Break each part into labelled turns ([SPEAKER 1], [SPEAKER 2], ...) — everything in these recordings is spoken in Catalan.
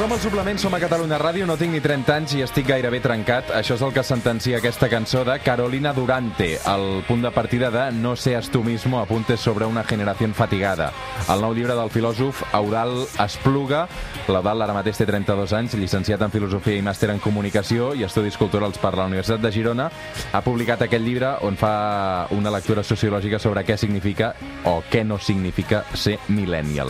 [SPEAKER 1] Som al suplement, som a Catalunya Ràdio, no tinc ni 30 anys i estic gairebé trencat. Això és el que sentencia aquesta cançó de Carolina Durante, el punt de partida de No seas tú mismo, apuntes sobre una generación fatigada. El nou llibre del filòsof Eudald Espluga. L'Eudald ara mateix té 32 anys, llicenciat en Filosofia i màster en Comunicació i Estudis Culturals per la Universitat de Girona. Ha publicat aquest llibre on fa una lectura sociològica sobre què significa o què no significa ser millennial.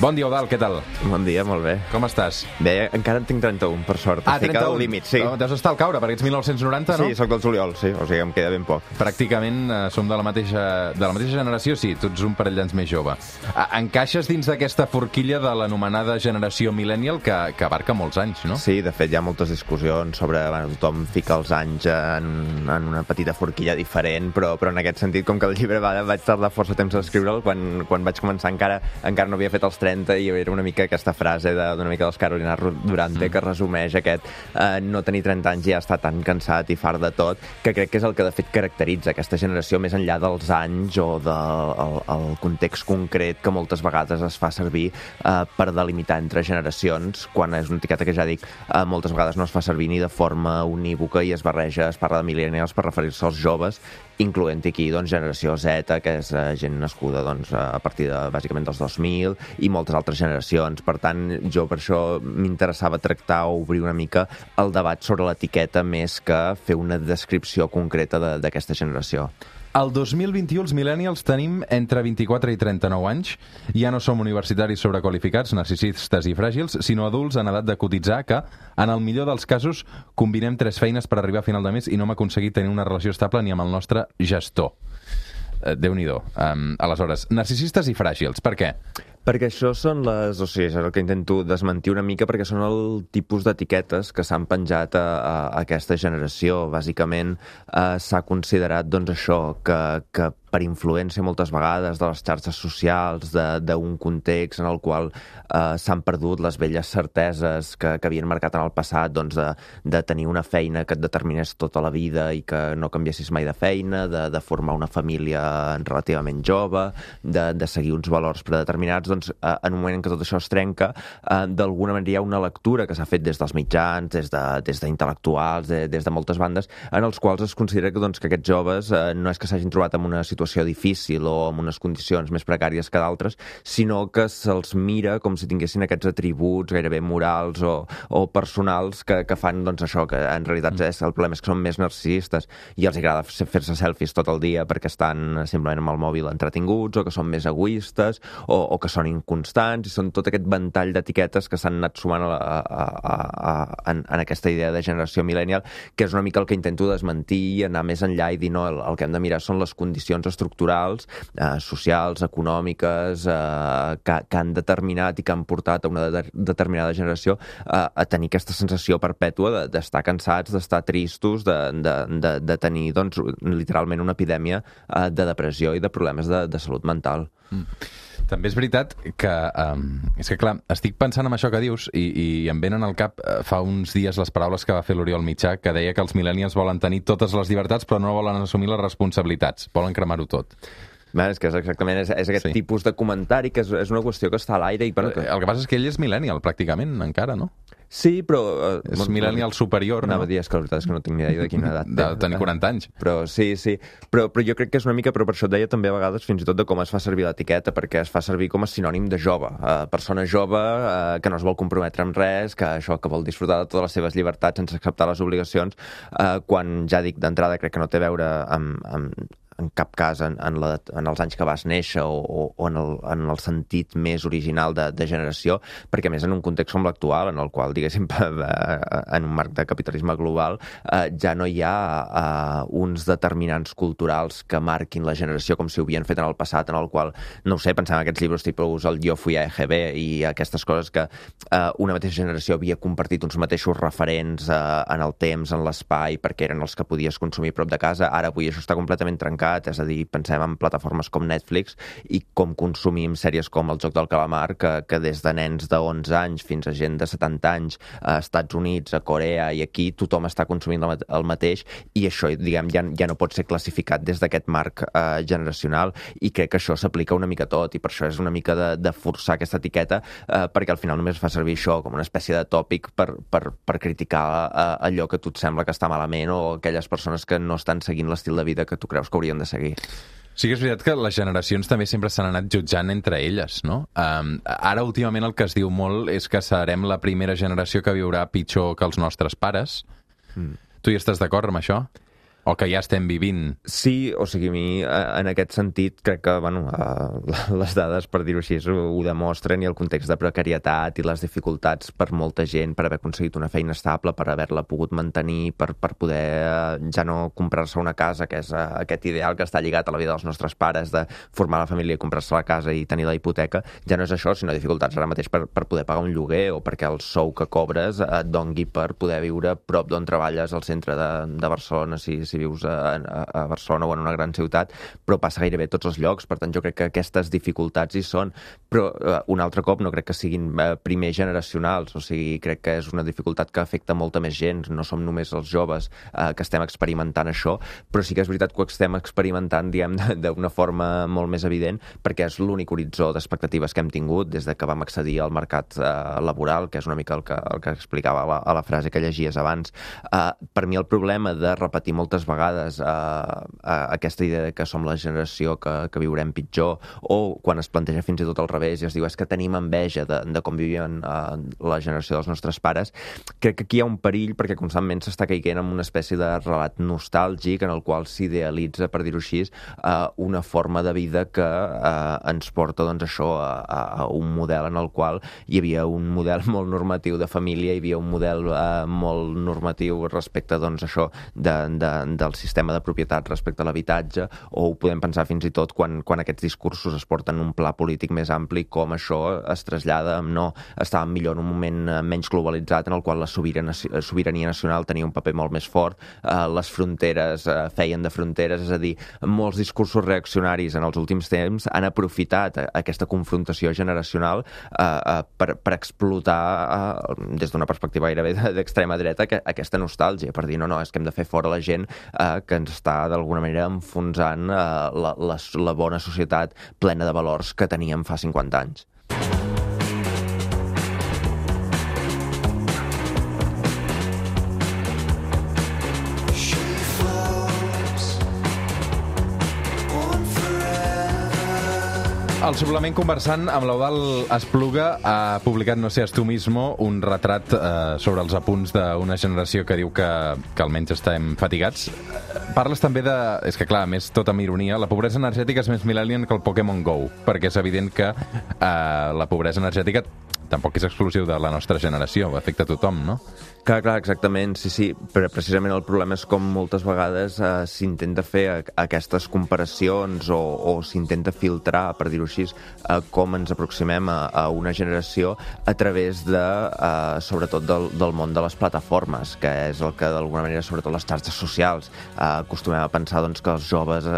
[SPEAKER 1] Bon dia, Eudald, què tal?
[SPEAKER 2] Bon dia, molt bé.
[SPEAKER 1] Com estàs?
[SPEAKER 2] Bé, encara en tinc 31, per sort. Estic al límit, sí.
[SPEAKER 1] Deus estar al caure, perquè ets 1990, no?
[SPEAKER 2] Sí, soc del juliol, sí, o sigui, em queda ben poc.
[SPEAKER 1] Pràcticament som de la mateixa generació, sí, tu ets un parell d'anys més jove. Encaixes dins d'aquesta forquilla de l'anomenada generació millennial que abarca molts anys, no?
[SPEAKER 2] Sí, de fet, hi ha moltes discussions sobre... Bueno, tothom fica els anys en una petita forquilla diferent, però en aquest sentit, com que el llibre vaig tardar força temps a escriure'l, quan vaig començar encara no havia fet els 30 i era una mica aquesta frase d'una mica dels Carolina Durante que resumeix aquest no tenir 30 anys i ja estar tan cansat i fart de tot, que crec que és el que de fet caracteritza aquesta generació més enllà dels anys o del context concret que moltes vegades es fa servir per delimitar entre generacions, quan és una etiqueta que ja dic, moltes vegades no es fa servir ni de forma unívoca i es parla de millennials per referir-se als joves, incloent aquí doncs, generació Z, que és gent nascuda doncs, a partir de, bàsicament dels 2000 i moltes altres generacions. Per tant, jo per això m'interessava tractar o obrir una mica el debat sobre l'etiqueta més que fer una descripció concreta d'aquesta generació.
[SPEAKER 1] El 2021 els millennials tenim entre 24 i 39 anys. Ja no som universitaris sobrequalificats, narcisistes i fràgils, sinó adults en edat de cotitzar que, en el millor dels casos, combinem 3 feines per arribar a final de mes i no hem aconseguit tenir una relació estable ni amb el nostre gestor. Déu-n'hi-do. Aleshores, narcisistes i fràgils, per què?
[SPEAKER 2] Perquè això són és el que intento desmentir una mica, perquè són el tipus d'etiquetes que s'han penjat a aquesta generació. Bàsicament s'ha considerat doncs, això, que per influència moltes vegades de les xarxes socials, d'un context en el qual s'han perdut les velles certeses que havien marcat en el passat, doncs, de tenir una feina que et determinés tota la vida i que no canviessis mai de feina, de formar una família relativament jove, de seguir uns valors predeterminats, doncs en un moment en què tot això es trenca, d'alguna manera hi ha una lectura que s'ha fet des dels mitjans, des d'intel·lectuals, des de moltes bandes, en els quals es considera que aquests joves no és que s'hagin trobat en una situació difícil o en unes condicions més precàries que d'altres, sinó que se'ls mira com si tinguessin aquests atributs gairebé morals o personals que fan doncs, això, que en realitat el problema és que són més narcisistes i els agrada fer-se selfies tot el dia perquè estan simplement amb el mòbil entretinguts o que són més egoistes o que són inconstants, i són tot aquest ventall d'etiquetes que s'han anat sumant en aquesta idea de generació millennial, que és una mica el que intento desmentir i anar més enllà i dir no, el que hem de mirar són les condicions estructurals, socials, econòmiques, que han determinat i que han portat a una determinada generació a tenir aquesta sensació perpètua d'estar cansats, d'estar tristos, de tenir doncs, literalment una epidèmia de depressió i de problemes de salut mental.
[SPEAKER 1] També és veritat que, és que clar, estic pensant en això que dius i em venen al cap fa uns dies les paraules que va fer l'Oriol Mitjà, que deia que els millennials volen tenir totes les llibertats però no volen assumir les responsabilitats, volen cremar-ho tot.
[SPEAKER 2] És que exactament és aquest tipus de comentari que és una qüestió que està a l'aire.
[SPEAKER 1] El que passa és que ell és millennial, pràcticament, encara, no?
[SPEAKER 2] Sí, però...
[SPEAKER 1] És millennial superior, no?
[SPEAKER 2] Anava a dir, que la veritat és que no tinc ni idea de quina edat.
[SPEAKER 1] De tenir 40 anys.
[SPEAKER 2] Però sí. Però jo crec que és una mica, però per això et deia també a vegades fins i tot de com es fa servir l'etiqueta, perquè es fa servir com a sinònim de jove. Persona jove que no es vol comprometre amb res, que això que vol disfrutar de totes les seves llibertats sense acceptar les obligacions, quan ja dic d'entrada crec que no té a veure en cap cas en els anys que vas néixer o en el sentit més original de generació, perquè més en un context com l'actual, en el qual, diguéssim, en un marc de capitalisme global, ja no hi ha uns determinants culturals que marquin la generació com si ho havien fet en el passat, en el qual, no ho sé, pensem en aquests llibres tipus el Jo fui a EGB i aquestes coses que una mateixa generació havia compartit uns mateixos referents en el temps, en l'espai, perquè eren els que podies consumir a prop de casa. Ara avui això està completament trencat mercat, és a dir, pensem en plataformes com Netflix i com consumim sèries com El Joc del Calamar, que des de nens de 11 anys fins a gent de 70 anys a Estats Units, a Corea i aquí tothom està consumint el mateix i això, diguem, ja no pot ser classificat des d'aquest marc generacional i crec que això s'aplica una mica a tot i per això és una mica de forçar aquesta etiqueta perquè al final només fa servir això com una espècie de tòpic per criticar allò que a tu et sembla que està malament o aquelles persones que no estan seguint l'estil de vida que tu creus que haurien de seguir.
[SPEAKER 1] Sí que és veritat que les generacions també sempre s'han anat jutjant entre elles, no? Ara, últimament, el que es diu molt és que serem la primera generació que viurà pitjor que els nostres pares. Tu hi estàs d'acord amb això? O que ja estem vivint?
[SPEAKER 2] Sí, o sigui, a mi, en aquest sentit, crec que, les dades, per dir-ho així, ho demostren i el context de precarietat i les dificultats per molta gent per haver aconseguit una feina estable, per haver-la pogut mantenir, per poder ja no comprar-se una casa, que és aquest ideal que està lligat a la vida dels nostres pares, de formar la família i comprar-se la casa i tenir la hipoteca, ja no és això, sinó dificultats ara mateix per poder pagar un lloguer o perquè el sou que cobres et dongui per poder viure prop d'on treballes al centre de Barcelona, si vius a Barcelona o en una gran ciutat, però passa gairebé a tots els llocs, per tant jo crec que aquestes dificultats hi són, però un altre cop no crec que siguin primer generacionals, o sigui, crec que és una dificultat que afecta molta més gent, no som només els joves que estem experimentant això, però sí que és veritat que ho estem experimentant, diguem, d'una forma molt més evident, perquè és l'únic horitzó d'expectatives que hem tingut des de que vam accedir al mercat laboral, que és una mica el que explicava a la frase que llegies abans. Per mi el problema de repetir moltes vegades aquesta idea que som la generació que viurem pitjor o quan es planteja fins i tot al revés i es diu és que tenim enveja de com vivien la generació dels nostres pares, crec que aquí hi ha un perill perquè constantment s'està caient en una espècie de relat nostàlgic en el qual s'idealitza, per dir-ho així, una forma de vida que ens porta doncs això a un model en el qual hi havia un model molt normatiu de família, hi havia un model molt normatiu respecte doncs això del sistema de propietat respecte a l'habitatge, o ho podem pensar fins i tot quan aquests discursos es porten en un pla polític més ampli, com això es trasllada amb no, estàvem millor en un moment menys globalitzat en el qual la sobirania nacional tenia un paper molt més fort, les fronteres feien de fronteres, és a dir, molts discursos reaccionaris en els últims temps han aprofitat aquesta confrontació generacional per explotar des d'una perspectiva gairebé d'extrema dreta aquesta nostàlgia, per dir no, és que hem de fer fora la gent que ens està d'alguna manera enfonsant la bona societat plena de valors que teníem fa 50 anys.
[SPEAKER 1] El suplement Conversant amb l'Eudald Espluga ha publicat No seas tú mismo, un retrat sobre els apunts d'una generació que diu que almenys estem fatigats. Parles també de... És que clar, a més, tot amb ironia, la pobresa energètica és més millennial que el Pokémon GO, perquè és evident que la pobresa energètica tampoc és exclusiu de la nostra generació, afecta a tothom, no?
[SPEAKER 2] Clar, exactament, sí, però precisament el problema és com moltes vegades s'intenta fer aquestes comparacions o s'intenta filtrar, per dir-ho així, com ens aproximem a una generació a través de, sobretot, del món de les plataformes, que és el que d'alguna manera, sobretot les xarxes socials, acostumem a pensar doncs, que els joves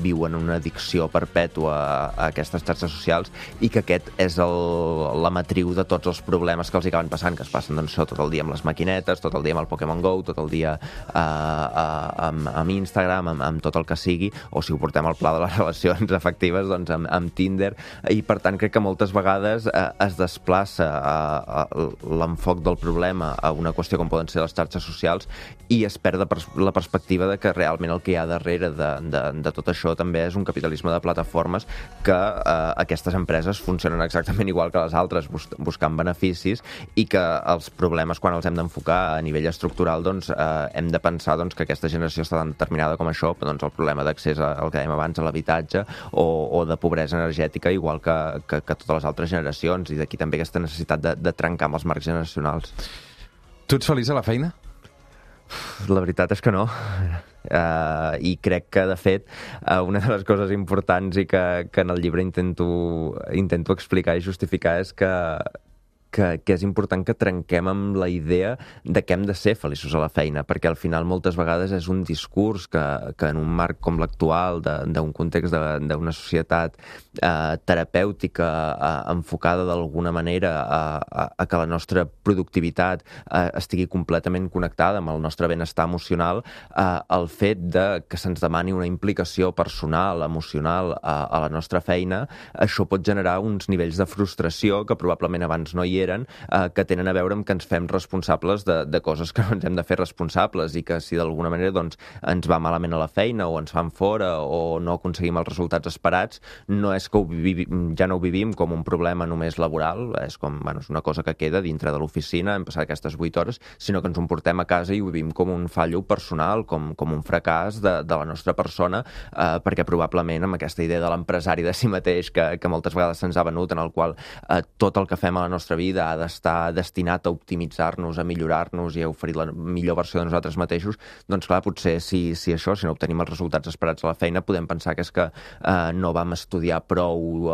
[SPEAKER 2] viuen una addicció perpètua a aquestes xarxes socials i que aquest és la matriu de tots els problemes que els acaben passant, que es passen doncs, tot el dia amb les maquinetes, tot el dia amb el Pokémon GO, tot el dia amb Instagram, amb tot el que sigui, o si ho portem al pla de les relacions afectives, doncs amb Tinder, i per tant crec que moltes vegades es desplaça l'enfoc del problema a una qüestió com poden ser les xarxes socials i es perd la perspectiva de que realment el que hi ha darrere de tot això també és un capitalisme de plataformes que aquestes empreses funcionen exactament igual que les altres, buscant beneficis i que els problemes quan els hem d'enfocar a nivell estructural doncs hem de pensar doncs, que aquesta generació està tan determinada com això, doncs el problema d'accés al que dèiem abans, a l'habitatge o de pobresa energètica, igual que totes les altres generacions, i d'aquí també aquesta necessitat de trencar amb els marcs generacionals.
[SPEAKER 1] Tu ets feliç a la feina?
[SPEAKER 2] La veritat és que no. I crec que, de fet, una de les coses importants i que en el llibre intento explicar i justificar és que que és important que trenquem amb la idea de que hem de ser feliços a la feina, perquè al final moltes vegades és un discurs que en un marc com l'actual, d'un context d'una societat terapèutica enfocada d'alguna manera a que la nostra productivitat estigui completament connectada amb el nostre benestar emocional, el fet de que se'ns demani una implicació personal, emocional a la nostra feina, això pot generar uns nivells de frustració que probablement abans no hi eren, que tenen a veure amb que ens fem responsables de coses que no ens hem de fer responsables i que si d'alguna manera doncs, ens va malament a la feina o ens fan fora o no aconseguim els resultats esperats, no és que ja no ho vivim com un problema només laboral, és com, bueno, és una cosa que queda dintre de l'oficina, hem passat aquestes 8 hores, sinó que ens ho portem a casa i ho vivim com un fallo personal, com un fracàs de la nostra persona, perquè probablement amb aquesta idea de l'empresari de si mateix que moltes vegades se'ns ha venut, en el qual tot el que fem a la nostra vida ha d'estar destinat a optimitzar-nos, a millorar-nos i a oferir la millor versió de nosaltres mateixos, doncs clar, potser si això, si no obtenim els resultats esperats a la feina, podem pensar que és que no vam estudiar prou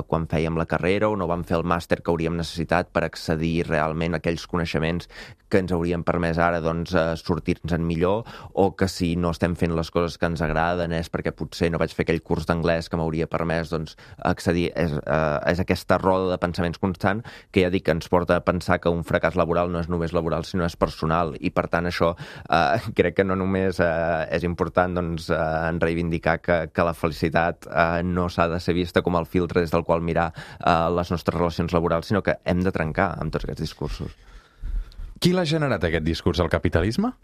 [SPEAKER 2] quan fèiem la carrera o no vam fer el màster que hauríem necessitat per accedir realment a aquells coneixements que ens haurien permès ara doncs, sortir-nos-en millor, o que si no estem fent les coses que ens agraden és perquè potser no vaig fer aquell curs d'anglès que m'hauria permès doncs, accedir. És aquesta roda de pensaments constant que ja dic que ens porta a pensar que un fracàs laboral no és només laboral, sinó és personal, i per tant això crec que no només és important doncs, en reivindicar que la felicitat no s'ha de ser vista com el filtre des del qual mirar les nostres relacions laborals, sinó que hem de trencar amb tots aquests discursos.
[SPEAKER 1] Qui l'ha generat, aquest discurs? El capitalisme?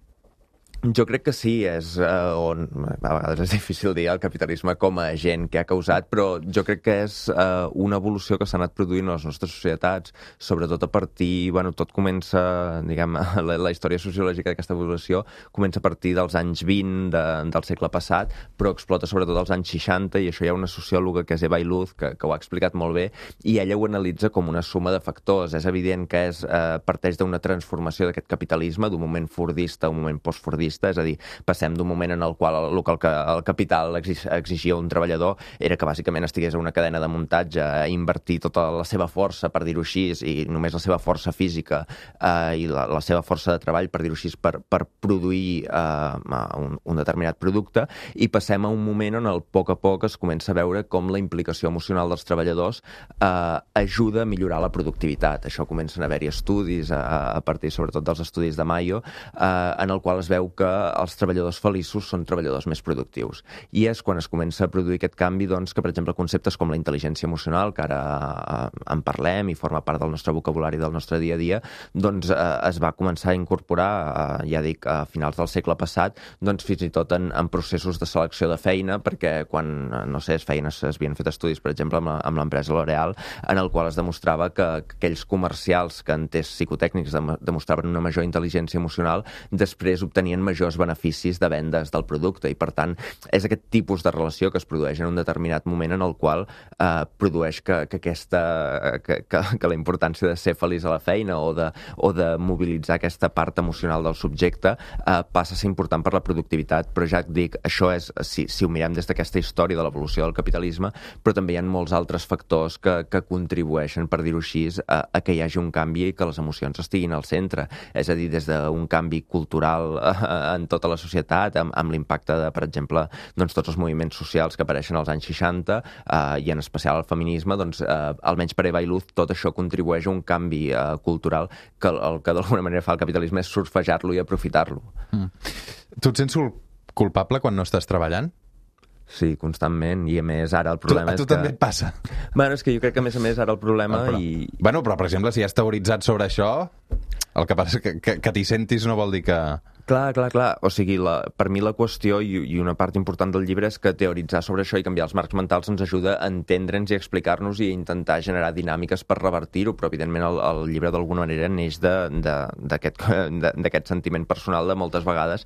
[SPEAKER 2] Jo crec que sí, és on a vegades és difícil dir el capitalisme com a agent que ha causat, però jo crec que és una evolució que s'ha anat produint a les nostres societats, sobretot a partir, bueno, tot comença, diguem, la història sociològica d'aquesta evolució comença a partir dels anys 20 del segle passat, però explota sobretot als anys 60, i això hi ha una sociòloga que és Eva Iluz, que ho ha explicat molt bé, i ella ho analitza com una suma de factors. És evident que parteix d'una transformació d'aquest capitalisme, d'un moment fordista a un moment postfordista, és a dir, passem d'un moment en el qual el capital exigia un treballador era que bàsicament estigués a una cadena de muntatge, a invertir tota la seva força, per dir-ho així, i només la seva força física i la seva força de treball, per dir-ho així, per produir un determinat producte, i passem a un moment on a poc es comença a veure com la implicació emocional dels treballadors ajuda a millorar la productivitat. Això comencen a haver-hi estudis, a partir sobretot dels estudis de Mayo, en el qual es veu que els treballadors feliços són treballadors més productius. I és quan es comença a produir aquest canvi, doncs, que, per exemple, conceptes com la intel·ligència emocional, que ara en parlem i forma part del nostre vocabulari del nostre dia a dia, doncs es va començar a incorporar, ja dic, a finals del segle passat, doncs fins i tot en processos de selecció de feina, perquè quan, no sé, es havien fet estudis, per exemple, amb l'empresa L'Oréal, en el qual es demostrava que aquells comercials que en tests psicotècnics demostraven una major intel·ligència emocional, després obtenien majors beneficis de vendes del producte, i per tant és aquest tipus de relació que es produeix en un determinat moment en el qual produeix que la importància de ser feliç a la feina o de mobilitzar aquesta part emocional del subjecte passa a ser important per la productivitat. Però ja et dic, això és, si ho mirem des d'aquesta història de l'evolució del capitalisme, però també hi ha molts altres factors que contribueixen, per dir-ho així, a que hi hagi un canvi i que les emocions estiguin al centre. És a dir, des d'un canvi cultural en tota la societat, amb l'impacte de, per exemple, doncs, tots els moviments socials que apareixen als anys 60 i en especial el feminisme, doncs, almenys per Eva Iluz, tot això contribueix a un canvi cultural que el que d'alguna manera fa el capitalisme és surfejar-lo i aprofitar-lo.
[SPEAKER 1] Tu et sents culpable quan no estàs treballant?
[SPEAKER 2] Sí, constantment, i a més ara el problema és que...
[SPEAKER 1] A tu també et passa?
[SPEAKER 2] Bueno, és que jo crec que a més ara el problema
[SPEAKER 1] Bueno, però per exemple, si has teoritzat sobre això, el que passa és que t'hi sentis no vol dir que...
[SPEAKER 2] Clar. O sigui, per mi la qüestió i una part important del llibre és que teoritzar sobre això i canviar els marcs mentals ens ajuda a entendre'ns i a explicar-nos i a intentar generar dinàmiques per revertir-ho, però evidentment el llibre d'alguna manera neix d'aquest sentiment personal de moltes vegades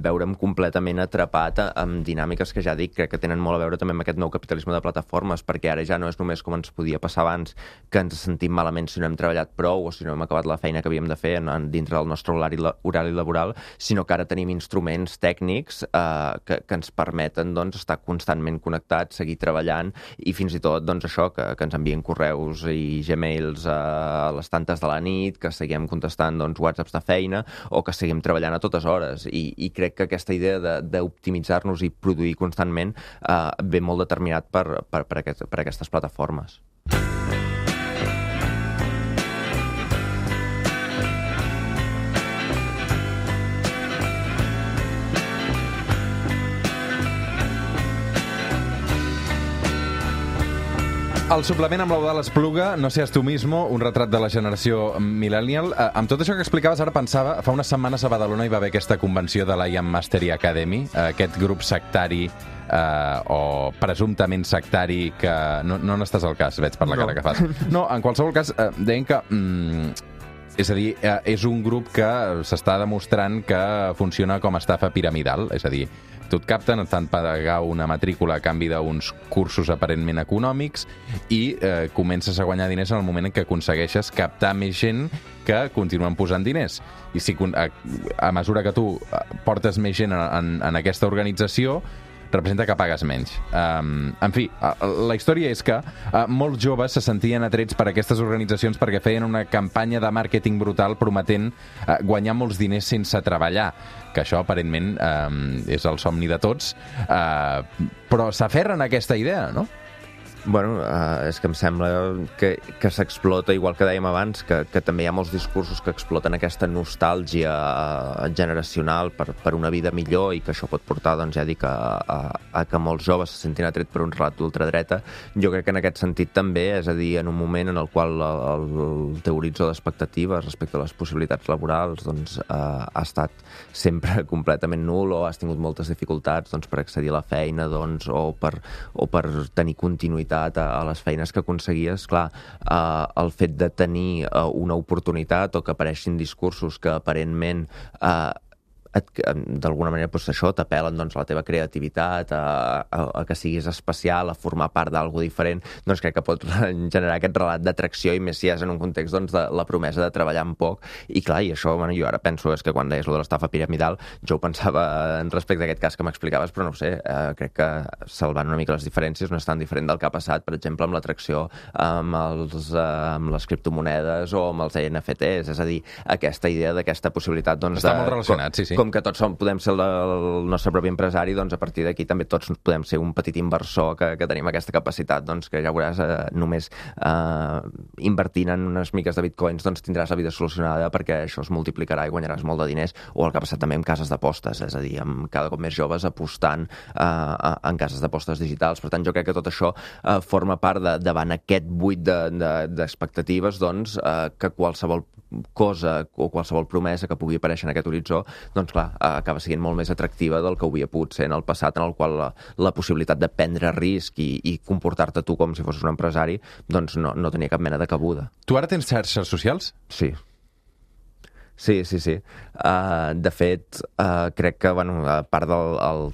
[SPEAKER 2] veure'm completament atrapat amb dinàmiques que ja dic, crec que tenen molt a veure també amb aquest nou capitalisme de plataformes, perquè ara ja no és només com ens podia passar abans, que ens sentim malament si no hem treballat prou o si no hem acabat la feina que havíem de fer dintre del nostre horari laboral, sinó que ara tenim instruments tècnics que ens permeten doncs, estar constantment connectats, seguir treballant i fins i tot doncs, això, que ens envien correus i Gmails a les tantes de la nit, que seguim contestant doncs, WhatsApps de feina o que seguim treballant a totes hores. I crec que aquesta idea d'optimitzar-nos i produir constantment ve molt determinat per aquestes plataformes.
[SPEAKER 1] El suplement amb l'Eudald Espluga, No seas tu mismo, un retrat de la generació millennial. Amb tot això que explicaves, ara pensava, fa unes setmanes a Badalona hi va haver aquesta convenció de la IAM Mastery Academy, aquest grup sectari o presumptament sectari que... No n'estàs al cas, veig per la cara que fas. No, en qualsevol cas, deien que... És a dir, és un grup que s'està demostrant que funciona com a estafa piramidal, és a dir, tu et capten, et fan pagar una matrícula a canvi d'uns cursos aparentment econòmics i comences a guanyar diners en el moment en què aconsegueixes captar més gent que continuen posant diners. I si a mesura que tu portes més gent en aquesta organització, representa que pagues menys. En fi, la història és que molts joves se sentien atrets per aquestes organitzacions perquè feien una campanya de màrqueting brutal prometent guanyar molts diners sense treballar, que això aparentment és el somni de tots, però s'aferren a aquesta idea, no?
[SPEAKER 2] Bueno, és que em sembla que s'explota, igual que dèiem abans, que també hi ha molts discursos que exploten aquesta nostàlgia generacional per una vida millor i que això pot portar, doncs ja dic, a que molts joves se sentin atret per un relat d'ultradreta. Jo crec que en aquest sentit també, és a dir, en un moment en el qual el teu horitzó d'expectatives respecte a les possibilitats laborals doncs, ha estat sempre completament nul o has tingut moltes dificultats doncs, per accedir a la feina doncs, o per tenir continuïtat a les feines que aconseguies, clar, el fet de tenir una oportunitat o que apareixin discursos que aparentment d'alguna manera doncs, això t'apel·len doncs, a la teva creativitat, a que siguis especial, a formar part d'algo diferent, doncs crec que pot generar aquest relat d'atracció i més si és en un context doncs, de la promesa de treballar en poc. I clar, i això, bueno, jo ara penso és que quan deies lo de l'estafa piramidal, jo ho pensava respecte a aquest cas que m'explicaves, però no ho sé, crec que salvant una mica les diferències no és tan diferent del que ha passat, per exemple, amb l'atracció amb les criptomonedes o amb els NFTs, és a dir, aquesta idea d'aquesta possibilitat doncs,
[SPEAKER 1] està molt relacionat, sí.
[SPEAKER 2] Com que tots podem ser el nostre propi empresari, doncs a partir d'aquí també tots podem ser un petit inversor que tenim aquesta capacitat, doncs que ja veuràs, només invertint en unes miques de bitcoins doncs tindràs la vida solucionada perquè això es multiplicarà i guanyaràs molt de diners, o el que ha passat també amb cases d'apostes, és a dir, amb cada cop més joves apostant en cases d'apostes digitals. Per tant, jo crec que tot això forma part davant aquest buit d'expectatives, doncs, que qualsevol cosa o qualsevol promesa que pugui aparèixer en aquest horitzó, doncs clar, acaba sent molt més atractiva del que ho havia pogut ser en el passat, en el qual la possibilitat de prendre risc i comportar-te tu com si fossis un empresari, doncs no tenia cap mena de cabuda.
[SPEAKER 1] Tu ara tens xarxes socials?
[SPEAKER 2] Sí. Sí. De fet, crec que, bueno, a part del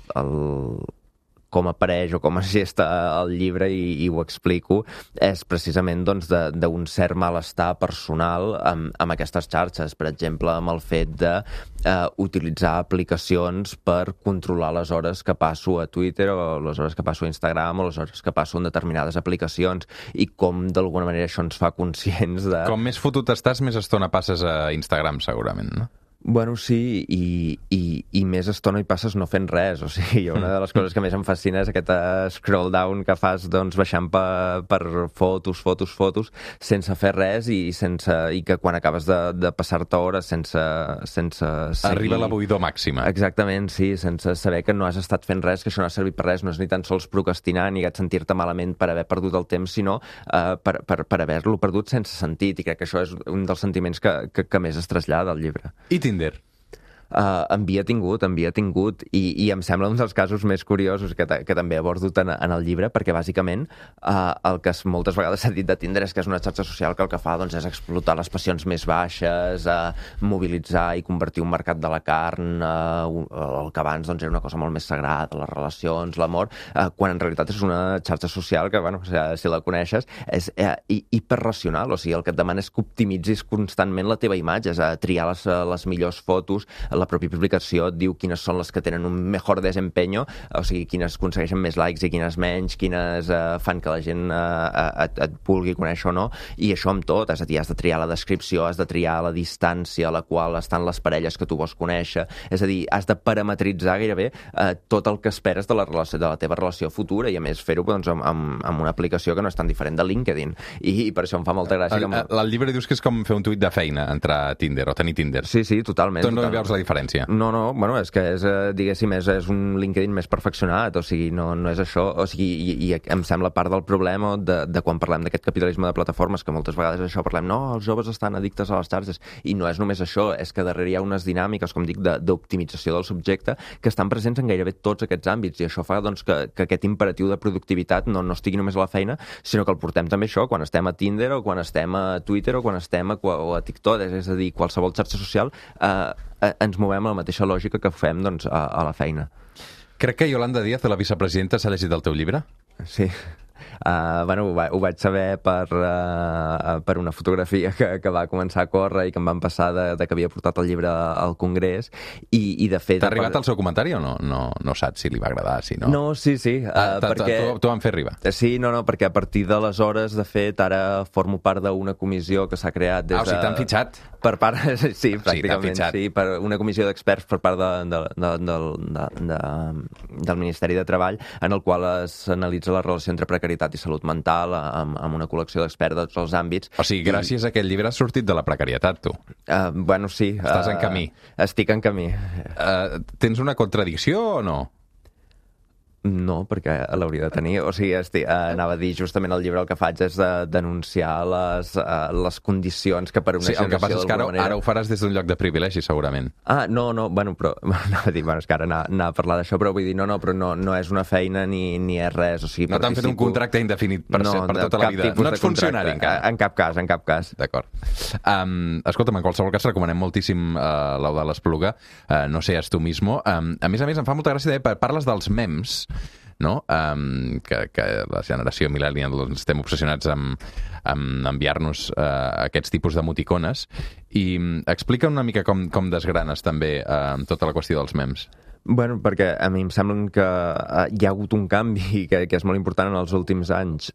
[SPEAKER 2] com apareix o com es gesta el llibre i ho explico, és precisament doncs, d'un cert malestar personal amb aquestes xarxes. Per exemple, amb el fet d'utilitzar aplicacions per controlar les hores que passo a Twitter o les hores que passo a Instagram o les hores que passo en determinades aplicacions i com d'alguna manera això ens fa conscients de...
[SPEAKER 1] Com més fotut estàs, més estona passes a Instagram, segurament, no?
[SPEAKER 2] Bueno, sí, i més estona hi passes no fent res, o sigui, una de les coses que més em fascina és aquest scroll down que fas, doncs, baixant per fotos, sense fer res i que quan acabes de passar-te hores sense seguir...
[SPEAKER 1] Arriba la buidor màxima.
[SPEAKER 2] Exactament, sí, sense saber que no has estat fent res, que això no ha servit per res, no és ni tan sols procrastinar ni sentir-te malament per haver perdut el temps, sinó per haver-lo perdut sense sentit, i crec que això és un dels sentiments que més es trasllada al llibre.
[SPEAKER 1] I Tinder?
[SPEAKER 2] Havia tingut i em sembla un dels casos més curiosos que també abordo en el llibre, perquè bàsicament el que moltes vegades s'ha dit de Tinder és que és una xarxa social que el que fa doncs, és explotar les passions més baixes, mobilitzar i convertir un mercat de la carn, el que abans doncs, era una cosa molt més sagrada, les relacions, l'amor, quan en realitat és una xarxa social que, bueno, si la coneixes, és hiperracional, o sigui, el que et demana és que optimitzis constantment la teva imatge, és triar les millors fotos, la pròpia publicació et diu quines són les que tenen un mejor desempeño, o sigui, quines aconsegueixen més likes i quines menys, quines fan que la gent et vulgui conèixer o no, i això amb tot, és a dir, has de triar la descripció, has de triar la distància a la qual estan les parelles que tu vols conèixer, és a dir, has de parametritzar gairebé tot el que esperes de la teva relació futura, i a més fer-ho doncs, amb una aplicació que no és tan diferent de LinkedIn, i per això em fa molta gràcia.
[SPEAKER 1] El llibre dius que és com fer un tuit de feina, entrar a Tinder o tenir Tinder.
[SPEAKER 2] Sí, totalment.
[SPEAKER 1] Tu no veus la diferència?
[SPEAKER 2] No, bueno, és que és, diguéssim, és un LinkedIn més perfeccionat, o sigui, no és això, o sigui, i em sembla part del problema de quan parlem d'aquest capitalisme de plataformes, que moltes vegades això parlem, no, els joves estan addictes a les xarxes, i no és només això, és que darrere hi ha unes dinàmiques, com dic, d'optimització del subjecte, que estan presents en gairebé tots aquests àmbits, i això fa doncs, que aquest imperatiu de productivitat no estigui només a la feina, sinó que el portem també això, quan estem a Tinder, o quan estem a Twitter, o quan estem a TikTok, és a dir, qualsevol xarxa social, ens movem a la mateixa lògica que fem doncs, a la feina.
[SPEAKER 1] Crec que Yolanda Díaz, la vicepresidenta, s'ha llegit el teu llibre?
[SPEAKER 2] Sí. Bueno, ho vaig saber per una fotografia que va començar a córrer i que em van passar de que havia portat el llibre al Congrés, i de fet...
[SPEAKER 1] T'ha arribat el seu comentari o no? No saps si li va agradar, si no?
[SPEAKER 2] No, sí. Perquè...
[SPEAKER 1] T'ho van fer arribar?
[SPEAKER 2] Sí, no, perquè a partir d'aleshores, de fet, ara formo part d'una comissió que s'ha creat des de...
[SPEAKER 1] O sigui, t'han fitxat?
[SPEAKER 2] Per part... Sí, pràcticament, sí, per una comissió d'experts per part del Ministeri de Treball, en el qual s'analitza la relació entre precarietat i salut mental amb una col·lecció d'experts de tots els àmbits.
[SPEAKER 1] O sigui, gràcies a aquest llibre has sortit de la precarietat, tu.
[SPEAKER 2] Bueno, sí.
[SPEAKER 1] Estàs en camí.
[SPEAKER 2] Estic en camí.
[SPEAKER 1] Tens una contradicció o no?
[SPEAKER 2] No, perquè l'hauria de tenir. O sigui, anava a dir, justament el llibre el que faig és denunciar les condicions que per una generació...
[SPEAKER 1] Sí, el que passa és que ara ho faràs des d'un lloc de privilegi, segurament.
[SPEAKER 2] No, bueno, però... Anava a dir, bueno, és que ara anar a parlar d'això, però vull dir, però no és una feina ni és res, o sigui...
[SPEAKER 1] No t'han fet un contracte indefinit per tota la vida. No ets funcionari, encara.
[SPEAKER 2] En cap cas.
[SPEAKER 1] D'acord. Escolta'm, en qualsevol cas recomanem moltíssim l'Eudald Espluga, No seas tú mismo. A més, em fa molta gràcia, parles dels memes, no? Que la generació millennial doncs, estem obsessionats amb enviar-nos aquests tipus d'emoticones, i explica una mica com desgranes també tota la qüestió dels memes.
[SPEAKER 2] Bueno, perquè a mi em sembla que hi ha hagut un canvi que és molt important en els últims anys.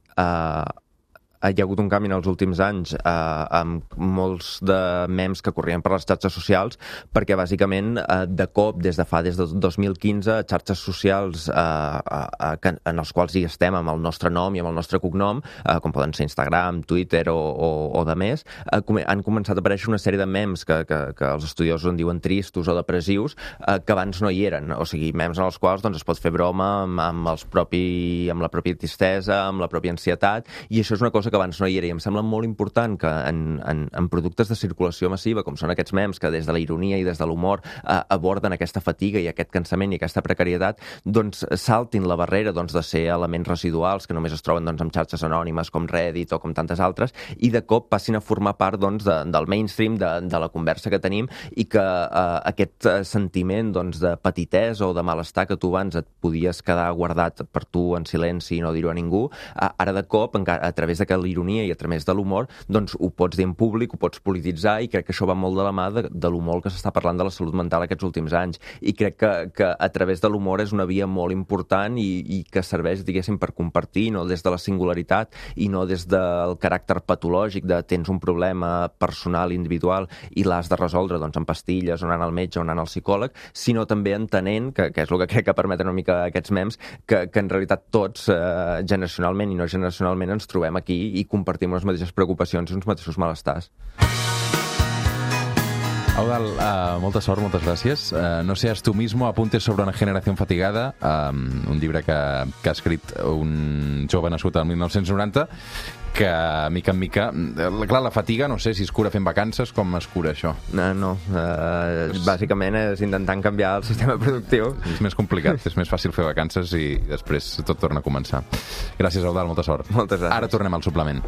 [SPEAKER 2] Hi ha hagut un canvi en els últims anys amb molts de memes que corrien per les xarxes socials, perquè bàsicament de cop, des de 2015, xarxes socials en els quals hi estem amb el nostre nom i amb el nostre cognom, com poden ser Instagram, Twitter o de més, han començat a aparèixer una sèrie de memes que els estudiosos en diuen tristos o depressius, que abans no hi eren. O sigui, memes en els quals doncs, es pot fer broma amb la pròpia tristesa, amb la pròpia ansietat, i això és una cosa que abans no hi era, i em sembla molt important que en productes de circulació massiva, com són aquests memes, que des de la ironia i des de l'humor aborden aquesta fatiga i aquest cansament i aquesta precarietat, doncs saltin la barrera de ser elements residuals que només es troben en xarxes anònimes com Reddit o com tantes altres, i de cop passin a formar part del mainstream, de la conversa que tenim, i que aquest sentiment de petitesa o de malestar que tu abans et podies quedar guardat per tu en silenci i no dir-ho a ningú, ara de cop, a través de l'ironia i a través de l'humor, doncs ho pots dir en públic, ho pots polititzar, i crec que això va molt de la mà de l'humor que s'està parlant de la salut mental aquests últims anys. I crec que a través de l'humor és una via molt important i que serveix, diguéssim, per compartir, no des de la singularitat i no des del caràcter patològic de tens un problema personal, individual, i l'has de resoldre amb pastilles o anant al metge o anant al psicòleg, sinó també entenent, que és el que crec que permeten una mica aquests memes, que en realitat tots, generacionalment i no generacionalment, ens trobem aquí i compartim les mateixes preocupacions i uns mateixos malestars.
[SPEAKER 1] Eudald, molta sort, moltes gràcies. No seas tú mismo, apuntes sobre una generación fatigada, un llibre que ha escrit un jove nascut el 1990, que mica en mica... Clar, la fatiga, no sé si es cura fent vacances, com es cura això?
[SPEAKER 2] No. Bàsicament és intentant canviar el sistema productiu.
[SPEAKER 1] És més complicat, és més fàcil fer vacances i després tot torna a començar. Gràcies, Eudald, molta sort.
[SPEAKER 2] Moltes gràcies.
[SPEAKER 1] Ara tornem al suplement.